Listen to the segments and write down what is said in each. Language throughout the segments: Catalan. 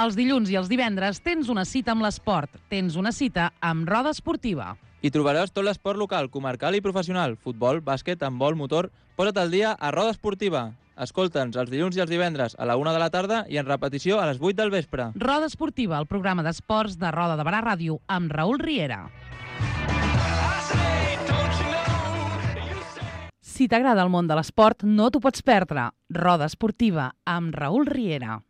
Els dilluns i els divendres tens una cita amb l'esport, tens una cita amb Roda Esportiva. Hi trobaràs tot l'esport local, comarcal i professional, futbol, bàsquet, handbol, motor. Posa't al dia a Roda Esportiva. Escolta'ns els dilluns i els divendres a la 1 de la tarda i en repetició a les 8 del vespre. Roda Esportiva, el programa d'esports de Roda de Barà Ràdio amb Raül Riera. Si t'agrada el món de l'esport, no t'ho pots perdre. Roda Esportiva amb Raül Riera.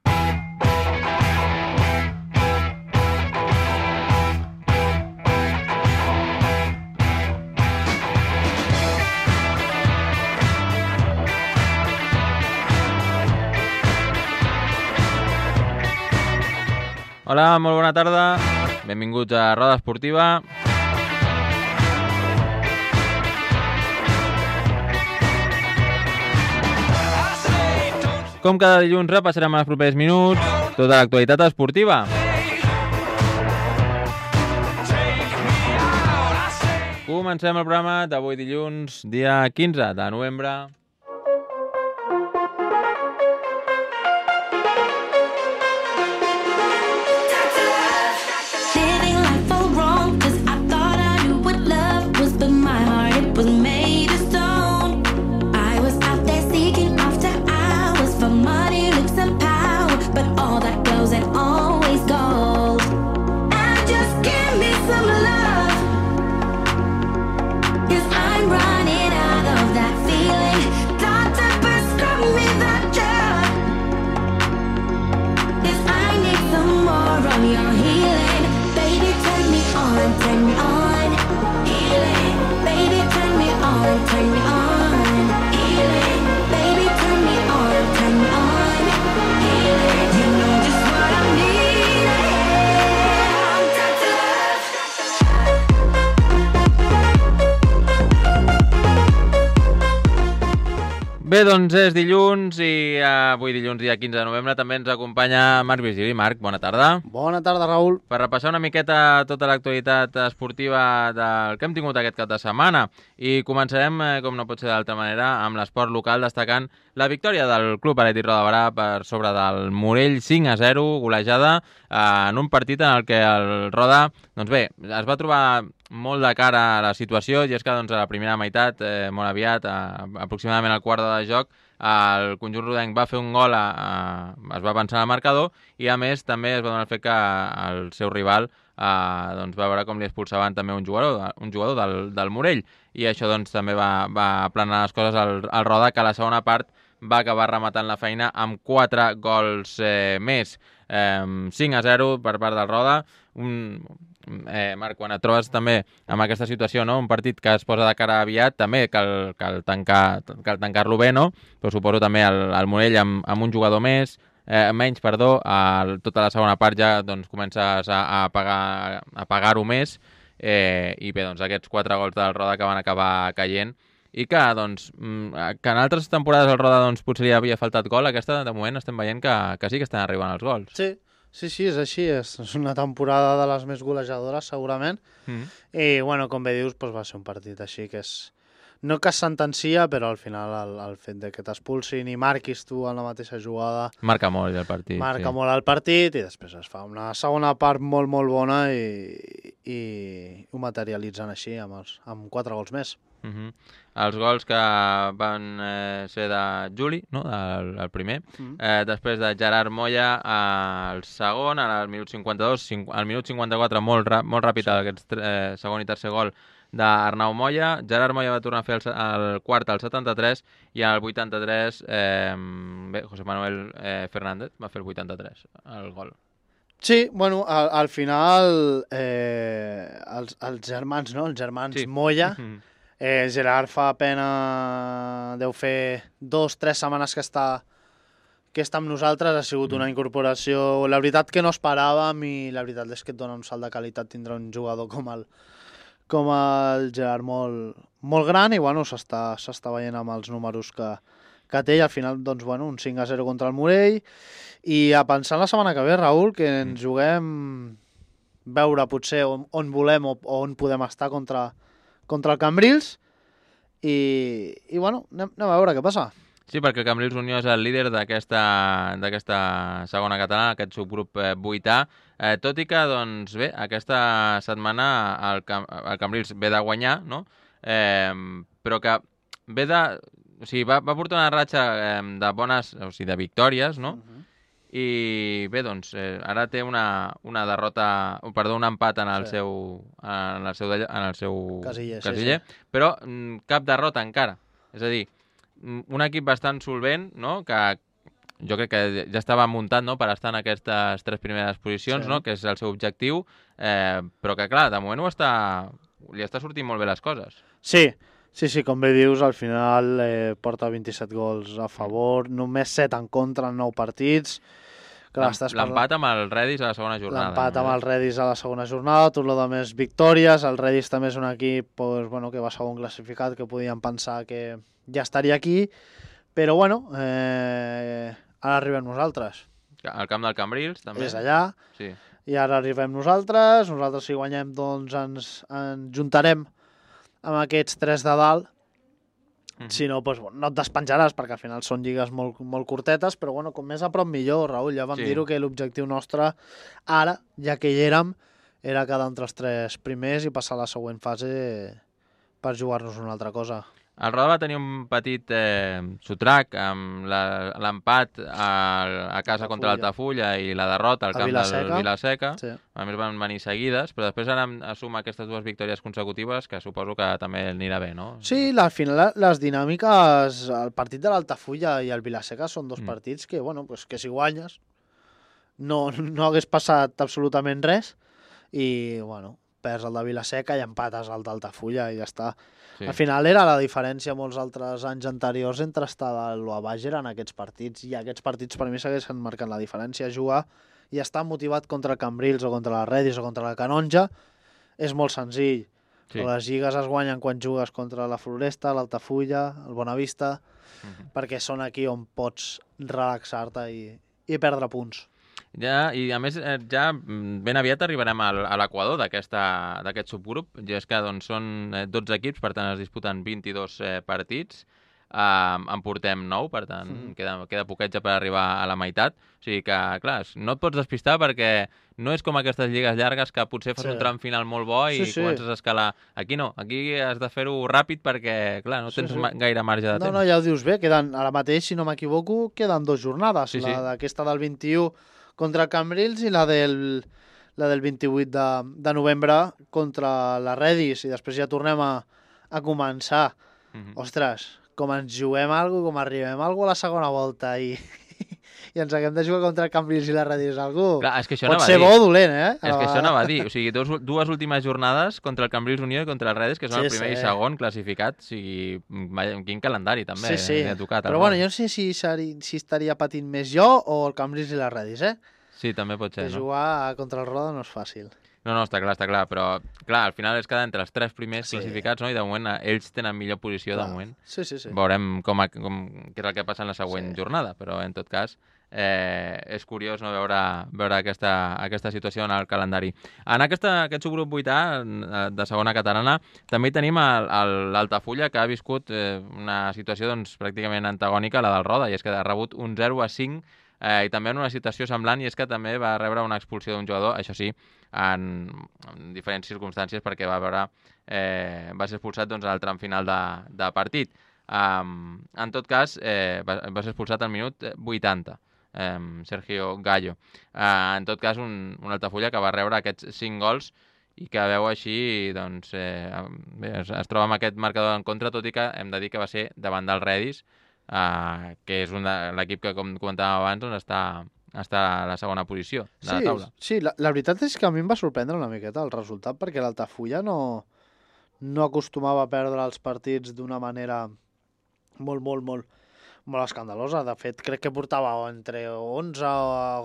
Hola, molt bona tarda. Benvinguts a Roda Esportiva. Com cada dilluns repassarem els propers minuts tota l'actualitat esportiva. Comencem el programa d'avui dilluns, dia 15 de novembre. Bé, doncs és dilluns i avui dilluns, dia 15 de novembre, també ens acompanya Marc Virgili. Marc, bona tarda. Bona tarda, Raül. Per repassar una miqueta tota l'actualitat esportiva del que hem tingut aquest cap de setmana. I començarem, com no pot ser d'altra manera, amb l'esport local, destacant la victòria del Club Atlètic Roda de Barà per sobre del Morell 5-0, golejada en un partit en el que el Roda, doncs bé, es va trobar molt de cara a la situació, i és que doncs, a la primera meitat, molt aviat, aproximadament al quart de joc, el conjunt rodenc va fer un gol, es va avançar al marcador, i a més també es va donar el fet que el seu rival doncs, va veure com li expulsaven també un jugador del Morell, i això doncs, també va aplanar les coses al Roda, que a la segona part va acabar rematant la feina amb 4 gols més. 5-0 per part del Roda. Marc, quan et trobes també amb aquesta situació, no? Un partit que es posa de cara aviat, també cal tancar-lo bé, no? Però suposo també el Morell amb un jugador menys, tota la segona part ja doncs, comences a pagar-ho més, i bé, doncs aquests 4 gols del Roda que van acabar caient, i que, doncs, que en altres temporades el Roda doncs, potser li havia faltat gol, aquesta de moment estem veient que sí que estan arribant els gols. Sí, és així, és una temporada de les més golejadores segurament, i bueno, com bé dius, doncs va ser un partit així que és... No que es sentencia, però al final el fet de que t'expulsin i marquis tu en la mateixa jugada... Marca molt el partit. Molt el partit, i després es fa una segona part molt, molt bona i ho materialitzen així amb 4 gols més. Els gols que van ser de Juli, no? El primer, després de Gerard Moya al segon, al minut 52, al minut 54 molt ràpid aquest segon i tercer gol d'Arnau Moya. Gerard Moya va tornar a fer el quart al 73, i al 83 José Manuel Fernández va fer el 83, el gol. Sí, bueno, al final els germans, no? Els germans sí. Moya. Gerard fa pena, deu fer 2-3 setmanes que està amb nosaltres, ha sigut una incorporació, la veritat que no esperàvem, i la veritat és que et dona un salt de qualitat tindre un jugador com el Gerard molt gran, i bueno, s'està veient amb els números que té, i al final doncs, bueno, un 5-0 contra el Morell, i a pensar la setmana que ve, Raül, que ens juguem veure potser on volem o on podem estar contra el Cambrils, i bueno, anem a veure què passa. Sí, perquè el Cambrils Unió és el líder d'aquesta segona catalana, aquest subgrup 8A, tot i que, doncs bé, aquesta setmana el Cambrils ve de guanyar, no? Però que ve de... O sigui, va portar una ratxa de bones, o sigui, de victòries, no? I bé, doncs, ara té una derrota, perdó, un empat en el seu casiller, però cap derrota encara. És a dir, un equip bastant solvent, no? Que jo crec que ja estava muntat, no? Per estar en aquestes 3 primeres posicions, no? Que és el seu objectiu, però que clar, de moment li està sortint molt bé les coses. Sí, com bé dius, al final porta 27 gols a favor, només 7 en contra en 9 partits. L'empat amb el Redis a la segona jornada. L'empat amb el Redis a la segona jornada, tot el de més victòries. El Redis també és un equip que va segon classificat, que podíem pensar que ja estaria aquí, però ara arribem nosaltres. Al camp del Cambrils, també. És allà, sí. I ara arribem nosaltres si guanyem, doncs ens juntarem amb aquests 3 de dalt. Si no, doncs, no et despenjaràs, perquè al final són lligues molt, molt curtetes, però com més a prop millor, Raül. Ja vam dir-ho, que l'objectiu nostre ara, ja que hi érem, era quedar entre els 3 primers i passar a la següent fase per jugar-nos una altra cosa. El Roda va tenir un petit sotrac amb l'empat a casa contra l'Altafulla i la derrota al camp del Vilaseca. Sí. A més van venir seguides, però després ara suma aquestes 2 victòries consecutives, que suposo que també anirà bé, no? Sí, al final les dinàmiques, el partit de l'Altafulla i el Vilaseca són 2 partits que, que si guanyes no hagués passat absolutament res i, perds el de Vilaseca i empates el d'Altafulla i ja està. Sí. Al final era la diferència molts altres anys anteriors entre estar dalt o a baix eren aquests partits, i aquests partits per mi segueixen marcant la diferència. Jugar i estar motivat contra el Cambrils o contra la Redis o contra la Canonja és molt senzill. Sí. Les lligues es guanyen quan jugues contra la Floresta, l'Altafulla, el Bonavista, perquè són aquí on pots relaxar-te i perdre punts. Ja, i a més ja ben aviat arribarem a l'equador d'aquest subgrup, i és que doncs, són 12 equips, per tant es disputen 22 partits, en portem 9, per tant queda poquet ja per arribar a la meitat, o sigui que clar, no et pots despistar perquè no és com aquestes lligues llargues que potser fas un tram final molt bo i comences a escalar. Aquí no, aquí has de fer-ho ràpid perquè clar, no tens gaire marge de temps. No, ja ho dius bé, ara mateix, si no m'equivoco, queden 2 jornades, la d'aquesta del 21 contra el Cambrils i la del 28 de novembre contra la Redis, i després ja tornem a començar. Ostres, com ens juguem alguna cosa, com arribem a alguna cosa a la segona volta i ens haguem de jugar contra el Cambrils i la Redis Clar, és que això pot ser bo o dolent, eh? És que això anava a dir, o sigui, 2 últimes jornades contra el Cambrils Unió i contra el Redis, que són el primer i segon classificat, o sigui, quin calendari també ha tocat. Però jo no sé si estaria patint més jo o el Cambrils i la Redis, eh? Sí, també pot ser, no? Jugar contra el Roda no és fàcil. No, està clar, però clar, al final és quedar entre els 3 primers classificats, no? I de moment ells tenen millor posició de moment. Sí. Veurem què és el que passa en la següent jornada, però en tot cas és curiós no veure aquesta situació en el calendari. En aquest subgrup 8A de segona catalana també tenim l'Altafulla, que ha viscut una situació doncs, pràcticament antagònica a la del Roda, i és que ha rebut un 0-5 i també en una situació semblant, i és que també va rebre una expulsió d'un jugador, això sí, en diferents circumstàncies, perquè va ser expulsat doncs, al tram final de partit. En tot cas, va ser expulsat al minut 80, Sergio Gallo. En tot cas, un Altafulla que va rebre aquests 5 gols i que veu així, doncs, es troba amb aquest marcador en contra, tot i que hem de dir que va ser davant del Redis, que és l'equip que, com comentàvem abans, doncs està a la segona posició de la taula. Sí, la veritat és que a mi em va sorprendre una miqueta el resultat, perquè l'Altafulla no acostumava a perdre els partits d'una manera molt escandalosa. De fet, crec que portava entre 11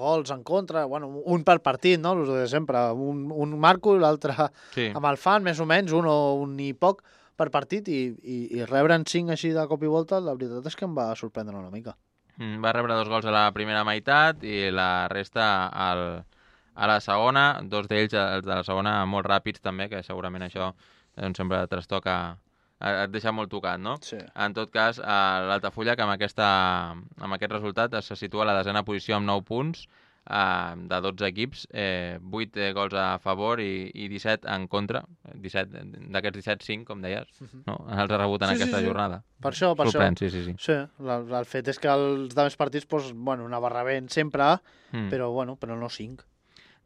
gols en contra, un per partit, no? El de sempre, un marco i l'altre amb el fan, més o menys, un i poc per partit, i rebre'n 5 així de cop i volta, la veritat és que em va sorprendre una mica. Va rebre 2 gols a la primera meitat i la resta a la segona, 2 d'ells, els de la segona, molt ràpids també, que segurament això sempre trastoca et deixa molt tocat, no? Sí. En tot cas, l'Altafulla, que amb aquest resultat se situa a la 10a posició amb 9 punts, de 12 equips, 8 gols a favor i 17 en contra. 17, d'aquests 17, 5, com deies, no? Els ha rebut en aquesta jornada. Per això. Sorprèn, sí. Sí, el fet és que els altres partits, doncs, bueno, anava rebent sempre, però no 5.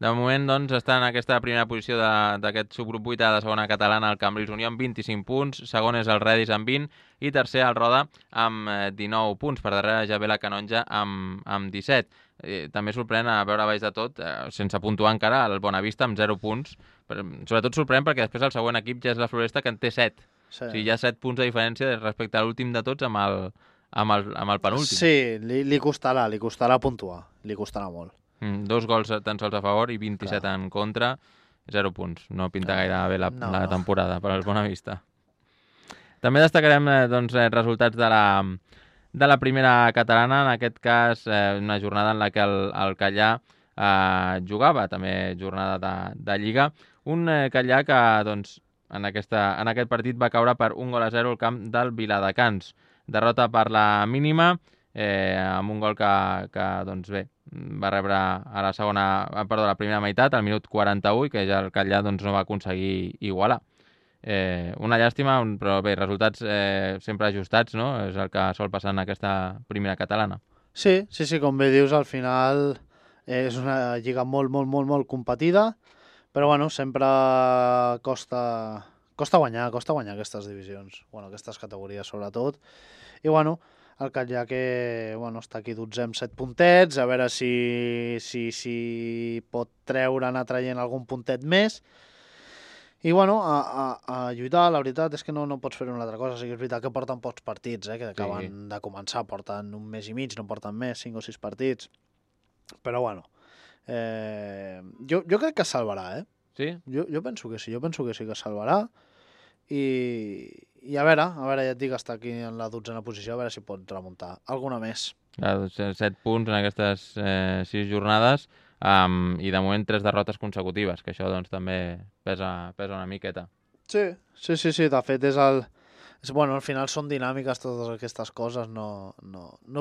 De moment, doncs, està en aquesta primera posició d'aquest subgrup 8 de segona catalana el Cambrils Unió amb 25 punts, segon és el Redis amb 20 i tercer el Roda amb 19 punts, per darrere ja ve la Canonja amb 17. També sorprèn a veure baix de tot, sense puntuar encara, el Bonavista amb 0 punts. Sobretot sorprèn perquè després el següent equip ja és la Floresta, que en té 7. Sí. O sigui, hi ha 7 punts de diferència respecte a l'últim de tots amb el penúltim. Sí, li costarà puntuar, li costarà molt. 2 gols tan sols a favor i 27 en contra, 0 punts. No pinta gaire bé la temporada per al Bonavista. També destacarem resultats de la primera catalana, en aquest cas una jornada en la que el Callà jugava, també jornada de Lliga. Un Callà que en aquest partit va caure per 1-0 al camp del Viladecans. Derrota per la mínima, amb un gol que va rebre a la primera meitat, al minut 41, i que ja el Callà no va aconseguir igualar. Una llàstima, però bé, resultats sempre ajustats, no? És el que sol passar en aquesta primera catalana. Sí, com bé dius, al final és una lliga molt competida, però bueno, sempre costa guanyar aquestes divisions, aquestes categories sobretot, i bueno, el Callà que està aquí 12 amb 7 puntets, a veure si pot anar traient algun puntet més. I a lluitar, la veritat és que no pots fer una altra cosa. O sigui, és veritat que porten pocs partits, que acaben de començar, porten un mes i mig, no porten més, 5 o 6 partits. Però jo crec que es salvarà, Sí? Jo penso que sí, que es salvarà. I a veure, ja et dic, està aquí en la 12a posició, a veure si pot remuntar alguna més. 7 punts en aquestes 6 jornades i de moment 3 derrotes consecutives, que això també pesa una miqueta. Sí, de fet al final són dinàmiques totes aquestes coses, no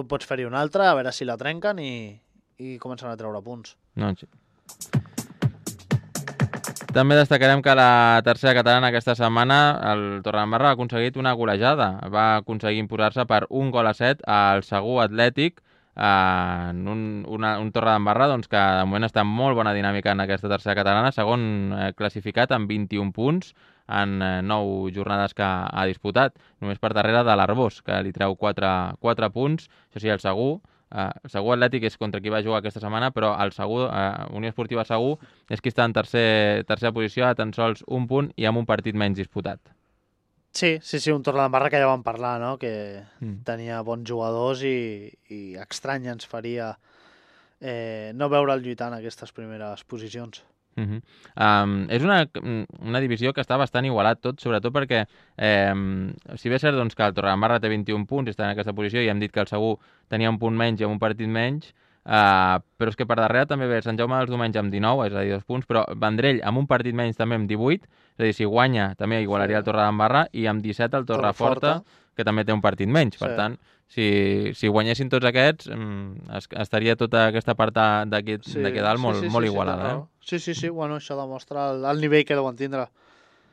pots fer-hi una altra, a veure si la trenquen i comencen a treure punts. Sí. També destacarem que la tercera catalana aquesta setmana el Torredembarra ha aconseguit una golejada. Va aconseguir imposar-se per 1-7 al Segur Atlètic, en un Torredembarra que de moment està en molt bona dinàmica en aquesta tercera catalana, segon classificat amb 21 punts en 9 jornades que ha disputat, només per darrere de l'Arbós, que li treu 4 punts. Això sí, el Segur Atlètic és contra qui va jugar aquesta setmana, però el Unió Esportiva Segur és qui està en tercera posició a tan sols 1 punt i amb un partit menys disputat. Sí, un Torredembarra que ja vam parlar, no? Que tenia bons jugadors i estrany ens faria no veure'l lluitant en aquestes primeres posicions. És una divisió que està bastant igualat tot, sobretot perquè si bé és cert que el Torredembarra té 21 punts i està en aquesta posició i hem dit que el Segur tenia un punt menys i amb un partit menys, però és que per darrere també ve Sant Jaume dels Domenys amb 19, és a dir, 2 punts, però Vendrell amb un partit menys també amb 18, és a dir, si guanya també igualaria el Torredembarra, i amb 17 el Torreforta, que també té un partit menys. Per tant, si guanyessin tots aquests, estaria tota aquesta part d'aquí dalt molt igualada. Sí, això demostra el nivell que deuen tindre.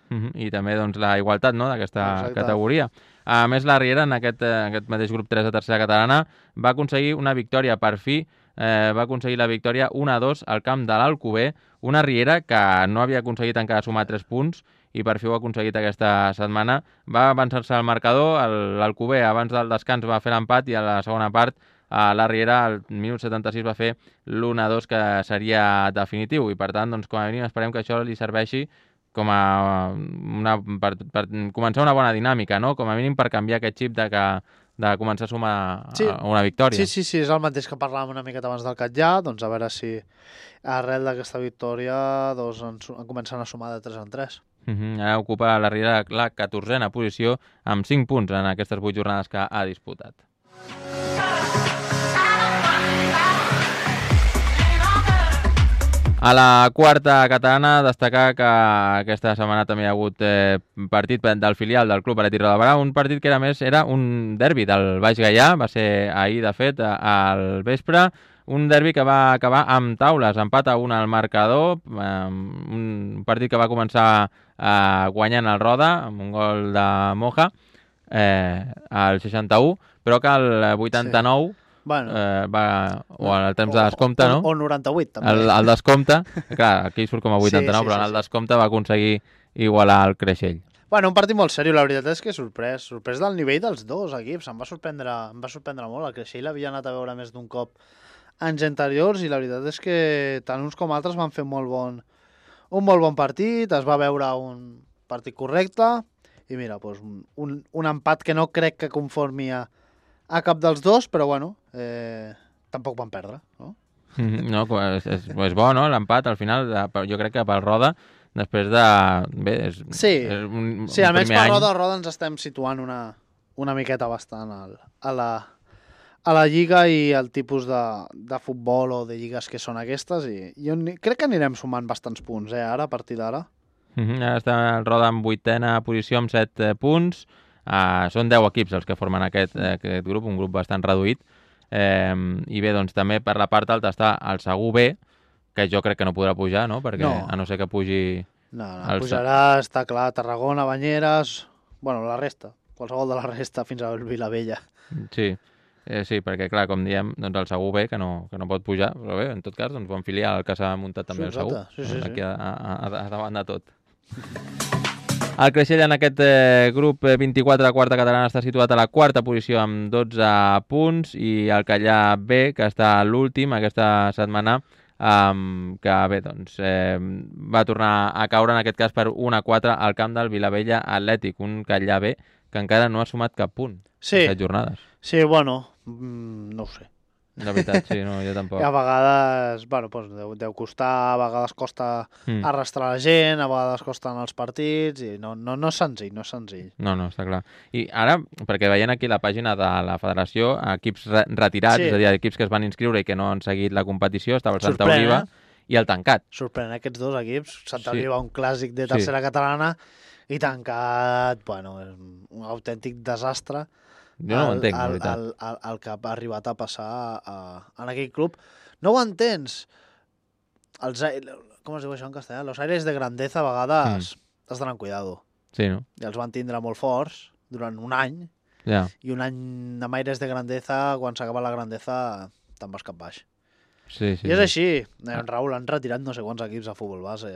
I també la igualtat d'aquesta categoria. A més, la Riera, en aquest mateix grup 3 de tercera catalana, va aconseguir una victòria per fi, va aconseguir la victòria 1-2 al camp de l'Alcover, una Riera que no havia aconseguit encara sumar 3 punts i per fi ho ha aconseguit aquesta setmana. Va avançar-se al marcador, l'Alcover abans del descans va fer l'empat i a la segona part la Riera al minut 76 va fer l'1-2 que seria definitiu i per tant, com a mínim esperem que això li serveixi per començar una bona dinàmica, no? Com a mínim per canviar aquest xip de començar a sumar una victòria. Sí, és el mateix que parlàvem una miqueta abans del Catllà, a veure si arrel d'aquesta victòria comencen a sumar de 3 en 3. Ara ocupa la Riera la 14a posició amb 5 punts en aquestes 8 jornades que ha disputat. A la quarta catalana, destacar que aquesta setmana també hi ha hagut partit del filial del Club Atlètic Roda de Barà, un partit que era un derbi del Baix Gaià, va ser ahir, de fet, al vespre, un derbi que va acabar amb taules, empat a 1 al marcador, un partit que va començar guanyant el Roda, amb un gol de Moja, al 61, però que al 89... Sí. Bueno, o al temps de descompte, no? O 98, també. El descompte, clar, aquí surt com a 89, però en el descompte va aconseguir igualar el Creixell. Bueno, un partit molt seriós, la veritat és que sorprès del nivell dels dos equips, em va sorprendre molt, el Creixell l'havia anat a veure més d'un cop anys anteriors i la veritat és que tant uns com altres van fer un molt bon partit, es va veure un partit correcte i mira, doncs un empat que no crec que conformi a cap dels dos, però bueno, tampoc van perdre, no? No, és bo, no?, l'empat, al final, jo crec que pel Roda, després de... Bé, sí, almenys per Roda ens estem situant una miqueta bastant a la Lliga i el tipus de futbol o de lligues que són aquestes, i jo crec que anirem sumant bastants punts, ara, a partir d'ara. Ara està el Roda en 8a posició amb 7 punts, són 10 equips els que formen aquest grup, un grup bastant reduït, i bé, doncs també per la part alta està el Segur B, que jo crec que no podrà pujar, no? Perquè a no ser que pugi... No, pujarà, està clar, Tarragona, Banyeres, bueno, la resta, qualsevol de la resta fins a Vilavella. Sí, perquè clar, com diem, doncs el Segur B, que no pot pujar, però bé, en tot cas, doncs bon filial el que s'ha muntat també el Segur, aquí a davant de tot. El Creixell en aquest grup 24 de quarta catalana està situat a la quarta posició amb 12 punts i el Callà B, que està a l'últim aquesta setmana, que bé, doncs va tornar a caure en aquest cas per 1-4 al camp del Vilavella Atlètic, un Callà B que encara no ha sumat cap punt en 7 jornades. Sí, bueno, no ho sé. De veritat, sí, no, jo tampoc. A vegades, bueno, doncs deu costar, a vegades costa arrastrar la gent, a vegades costen els partits, i no és senzill, no és senzill. No, està clar. I ara, perquè veient aquí la pàgina de la federació, equips retirats, és a dir, equips que es van inscriure i que no han seguit la competició, estava el Santa Oliva i el Tancat. Sorprèn aquests dos equips, Santa Oliva, un clàssic de tercera catalana, i Tancat, bueno, és un autèntic desastre. Jo no ho entenc, la veritat. El que ha arribat a passar en aquell club. No ho entens? Com es diu això en castellà? Los aires de grandeza a vegades has d'anar amb cuidado. Sí, no? I els van tindre molt forts durant un any, i un any amb aires de grandeza, quan s'acaba la grandeza, te'n vas cap baix. I és així. Raül, han retirat no sé quants equips a futbol base.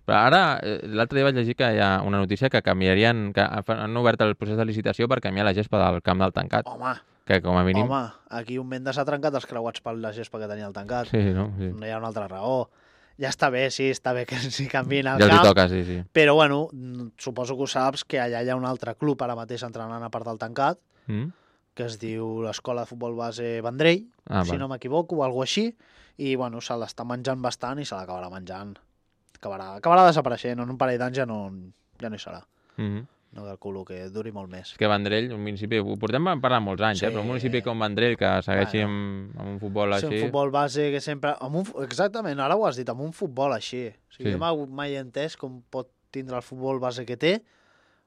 Però ara, l'altre dia vaig llegir que hi ha una notícia que canviarien, que han obert el procés de licitació per canviar la gespa del camp del Tancat. Home, que com a mínim... Aquí un Mendes ha trencat els creuats per la gespa que tenia el Tancat. Sí. No hi ha una altra raó. Ja està bé, està bé que s'hi canviïn el camp. Ja els toca, sí. Però, bueno, suposo que ho saps, que allà hi ha un altre club ara mateix entrenant a part del Tancat, que es diu l'Escola de Futbol Base Vendrell, si no m'equivoco, o alguna així, i, bueno, se l'està menjant bastant i se l'acabarà menjant. Acabarà desapareixent, en un parell d'anys ja no hi serà. No calculo que duri molt més. És que Vendrell, un municipi, ho portem parlant molts anys, però un municipi com Vendrell, que segueixi amb un futbol així... Sí, un futbol base que sempre... Exactament, ara ho has dit, amb un futbol així. Jo mai he entès com pot tindre el futbol base que té,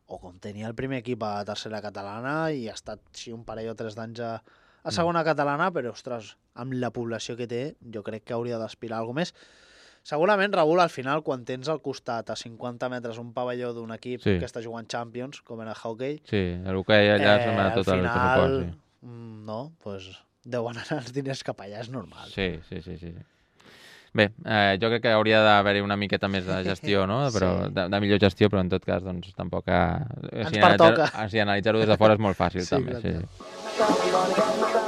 o com tenia el primer equip a tercera catalana i ha estat un parell o 3 d'anys a segona catalana, però, ostres, amb la població que té, jo crec que hauria d'aspirar a alguna més. Segurament, Raül, al final, quan tens al costat a 50 metres un pavelló d'un equip que està jugant Champions, com era hockey... Sí, l'hoquei allà sembla tot el pressupost. No, doncs deuen anar els diners cap allà, és normal. Sí. Bé, jo crec que hauria d'haver-hi una miqueta més de gestió, no? Però de millor gestió, però en tot cas, doncs, tampoc... Ens pertoca. Si analitzar-ho des de fora és molt fàcil, també.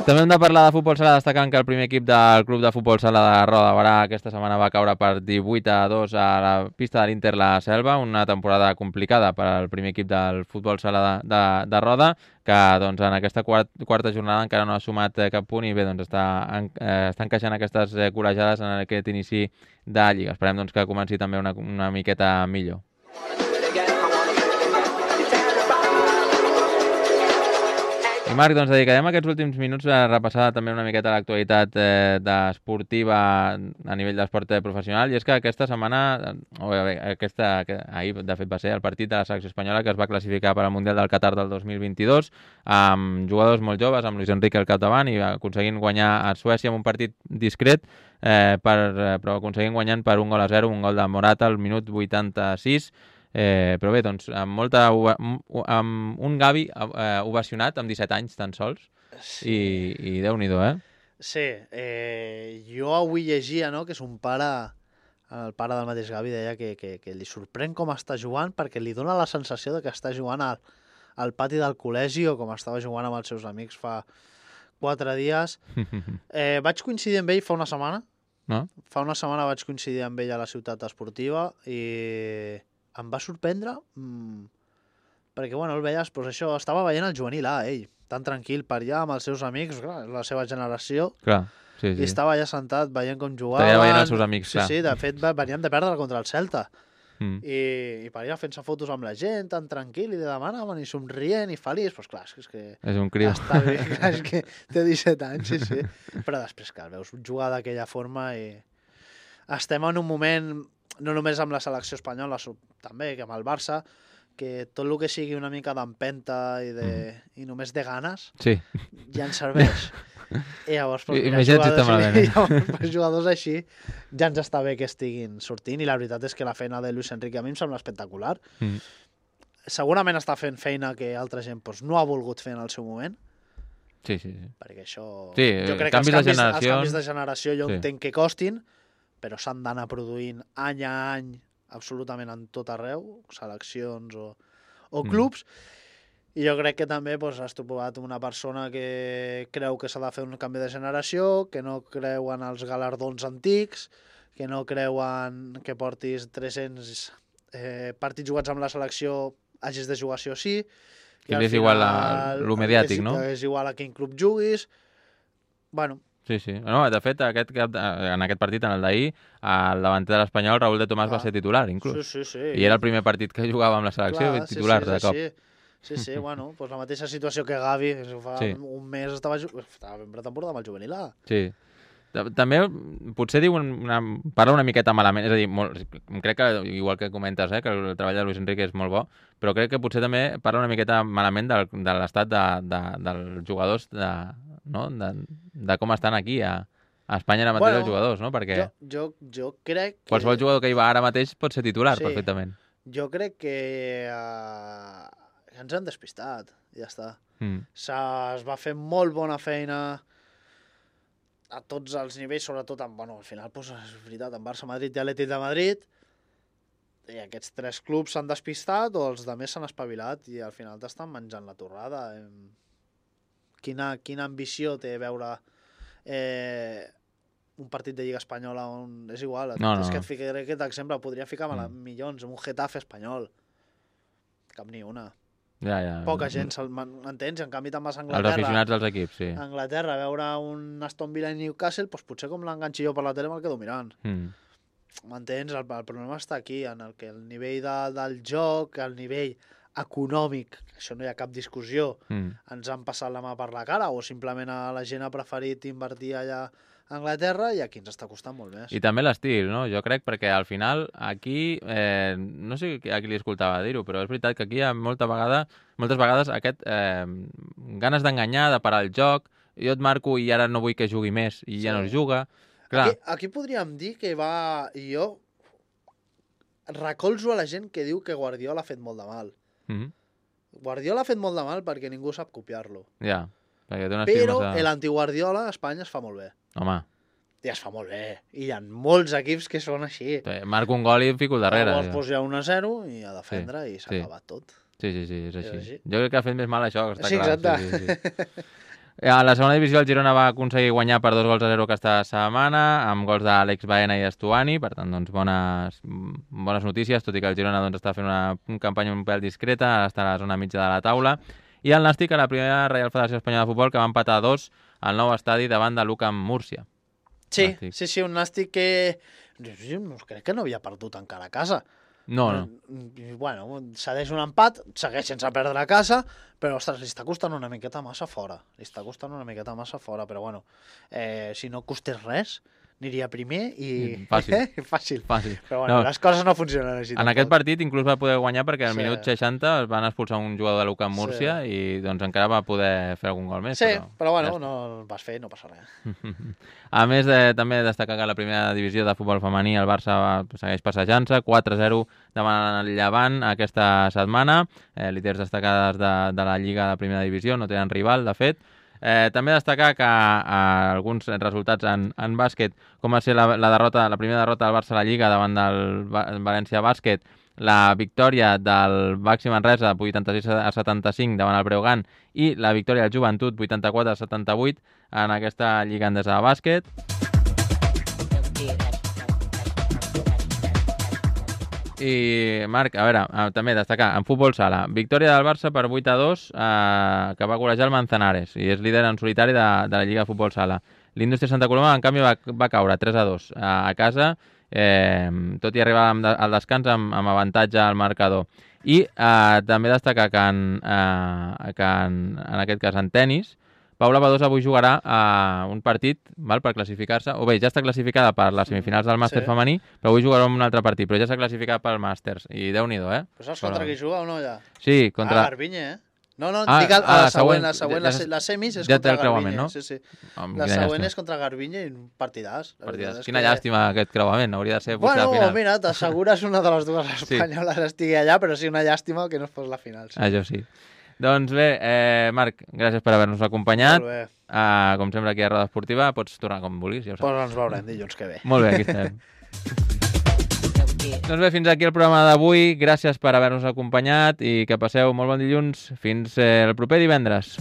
També hem de parlar de futbol sala, destacant que el primer equip del Club de Futbol Sala de Roda de Barà aquesta setmana va caure per 18-2 a la pista de l'Inter La Selva, una temporada complicada per al primer equip del futbol sala de Roda, que doncs, en aquesta quarta jornada encara no ha sumat cap punt i bé, doncs, està encaixant aquestes col·legiades en aquest inici de Lliga. Esperem doncs, que comenci també una miqueta millor. I Marc, doncs dedicarem aquests últims minuts a repassar també una miqueta l'actualitat esportiva a nivell d'esport professional, i és que aquesta setmana, ahir de fet va ser el partit de la selecció espanyola que es va classificar per al Mundial del Qatar del 2022, amb jugadors molt joves, amb Luis Enrique al capdavant, i aconseguint guanyar a Suècia amb un partit discret, però aconseguint guanyant per 1-0, un gol de Morata al minut 86. Però bé, doncs, amb un Gavi ovacionat amb 17 anys tan sols, sí. I Déu-n'hi-do, Sí, jo avui llegia, no?, que és un pare, el pare del mateix Gavi deia que li sorprèn com està jugant, perquè li dona la sensació de que està jugant al pati del col·legi o com estava jugant amb els seus amics fa 4 dies. Vaig coincidir amb ell fa una setmana. No? Fa una setmana vaig coincidir amb ell a la ciutat esportiva i em va sorprendre perquè, bueno, el veies, doncs això, estava veient el juvenil A, ell, tan tranquil per allà amb els seus amics, clar, la seva generació. Clar, sí. I estava allà sentat veient com jugaven. Estava veient els seus amics, clar. Sí, de fet, venien de perdre contra el Celta. I per allà fent-se fotos amb la gent, tan tranquil, i li demanaven, i somrient, i feliç. Doncs clar, és que... És un criu. Està bé, clar, és que té 17 anys, sí. Però després, clar, veus jugar d'aquella forma i... Estem en un moment, no només amb la selecció espanyola, també, que amb el Barça, que tot el que sigui una mica d'empenta i només de ganes, sí. Ja ens serveix. I llavors, per jugadors així, ja ens està bé que estiguin sortint, i la veritat és que la feina de Luis Enrique a mi em sembla espectacular. Segurament està fent feina que altra gent no ha volgut fer en el seu moment. Sí. Perquè això... Sí, jo crec que els canvis de generació jo entenc que costin, però s'han d'anar produint any a any absolutament en tot arreu, seleccions o clubs, i jo crec que també has trobat una persona que creu que s'ha de fer un canvi de generació, que no creu en els galardons antics, que no creu en que portis 300 partits jugats amb la selecció, hagis de jugar sí o sí. Que és igual lo mediàtic, no? Que és igual a quin club juguis. Bueno, sí. No, de fet, en aquest partit, en el d'ahir, el davanter de l'Espanyol, Raúl de Tomàs, va ser titular, inclús. Sí. I era el primer partit que jugava amb la selecció, titular de cop. Sí, bueno, doncs la mateixa situació que Gavi, fa un mes estava en pretemporada amb el juvenil A. Sí. També, potser parla una miqueta malament, és a dir, crec que, igual que comentes, que el treball de Luis Enrique és molt bo, però crec que potser també parla una miqueta malament de l'estat dels jugadors, de com estan aquí a Espanya ara mateix els jugadors, no? Perquè jo crec que... Qualsevol jugador que hi va ara mateix pot ser titular perfectament. Jo crec que ens han despistat, i ja està. Es va fer molt bona feina a tots els nivells, sobretot al final, és veritat, en Barça, Madrid i Atlètic de Madrid, i aquests 3 clubs s'han despistat o els altres s'han espavilat i al final t'estan menjant la torrada. Quina ambició té veure un partit de Lliga Espanyola on és igual. És que et ficaré aquest exemple, podria ficar milions en un Getafe espanyol. Cap ni una. Poca gent m'entens, en canvi te'n vas a Anglaterra. Els aficionats dels equips, sí. A Anglaterra, a veure un Aston Villa i Newcastle, potser com l'enganxi jo per la tele me'l quedo mirant. M'entens? El problema està aquí, en el que el nivell del joc, el nivell econòmic, això no hi ha cap discussió, ens han passat la mà per la cara, o simplement la gent ha preferit invertir allà a Anglaterra i aquí ens està costant molt més. I també l'estil, no? Jo crec, perquè al final aquí, no sé a qui li escoltava dir-ho, però és veritat que aquí hi ha moltes vegades aquest ganes d'enganyar, de parar el joc, jo et marco i ara no vull que jugui més i ja no es juga. Aquí podríem dir que jo recolzo a la gent que diu que Guardiola ha fet molt de mal. Guardiola ha fet molt de mal perquè ningú sap copiar-lo. Ja, perquè té un estil però l'anti-Guardiola a Espanya es fa molt bé. Home. I es fa molt bé. I hi ha molts equips que són així. Marco un gol i em fico al darrere. Llavors hi ha 1-0 i a defendre i s'ha acabat tot. Sí, és així. Jo crec que ha fet més mal això, està clar. Exacte. A la segona divisió el Girona va aconseguir guanyar per 2-0 aquesta setmana, amb gols d'Àlex Baena i Estuani, per tant, doncs, bones notícies, tot i que el Girona està fent una campanya un pèl discreta, està a la zona mitja de la taula. I el Nàstic a la primera Reial Federació Espanyola de Futbol, que va empatar 2 al nou estadi davant de l'UCAM Múrcia. Sí, un Nàstic que crec que no havia perdut encara a casa. No. Bueno, cedeix un empat, segueix sense perdre a casa, però, ostres, li està costant una miqueta massa fora. Però, bueno, si no costés res, aniria primer i... Fàcil. Però, bueno, les coses no funcionen així. En aquest partit inclús va poder guanyar perquè al minut 60 es van expulsar un jugador de l'UCAM Múrcia i doncs encara va poder fer algun gol més. Sí, però bueno, no el vas fer i no passa res. A més, també destacar que la primera divisió de futbol femení el Barça segueix passejant-se, 4-0 davant el Llevant aquesta setmana, líders destacades de la Lliga de primera divisió, no tenen rival, de fet. També destacar que alguns resultats en bàsquet, com va ser la primera derrota del Barça a la Lliga davant del València Bàsquet, la victòria del Baxi Manresa 86-75 davant el Breogán i la victòria del Joventut 84-78 en aquesta Lliga Endesa de bàsquet. I, Marc, a veure, també destacar, en futbol sala, victòria del Barça per 8-2, que va golejar el Manzanares, i és líder en solitari de la Lliga de Futbol Sala. L'Indústria Santa Coloma, en canvi, va caure 3-2 a casa, tot i arribar al descans amb avantatge al marcador. I també destacar que en aquest cas en tennis, Paula Badosa avui jugarà un partit per classificar-se, o bé, ja està classificada per les semifinals del màster femení, però avui jugarà un altre partit, però ja s'ha classificat pel màsters, i Déu-n'hi-do, Però saps contra qui juga o no, ja? Sí, contra... Garbiñe, No, dic a la següent, la semis és contra Garbiñe. No? Sí. La següent és contra Garbiñe i un partidàs. Quina llàstima aquest creuament, hauria de ser potser la final. Mira, t'assegures una de les dues espanyoles estigui allà, però sí una llàstima que no fos la final. Això sí. Doncs bé, Marc, gràcies per haver-nos acompanyat. Molt bé. Com sempre aquí a Roda Esportiva, pots tornar com vulguis. Ja ens veurem dilluns que ve. Molt bé, aquí estem. Doncs bé, fins aquí el programa d'avui. Gràcies per haver-nos acompanyat i que passeu molt bon dilluns. Fins el proper divendres.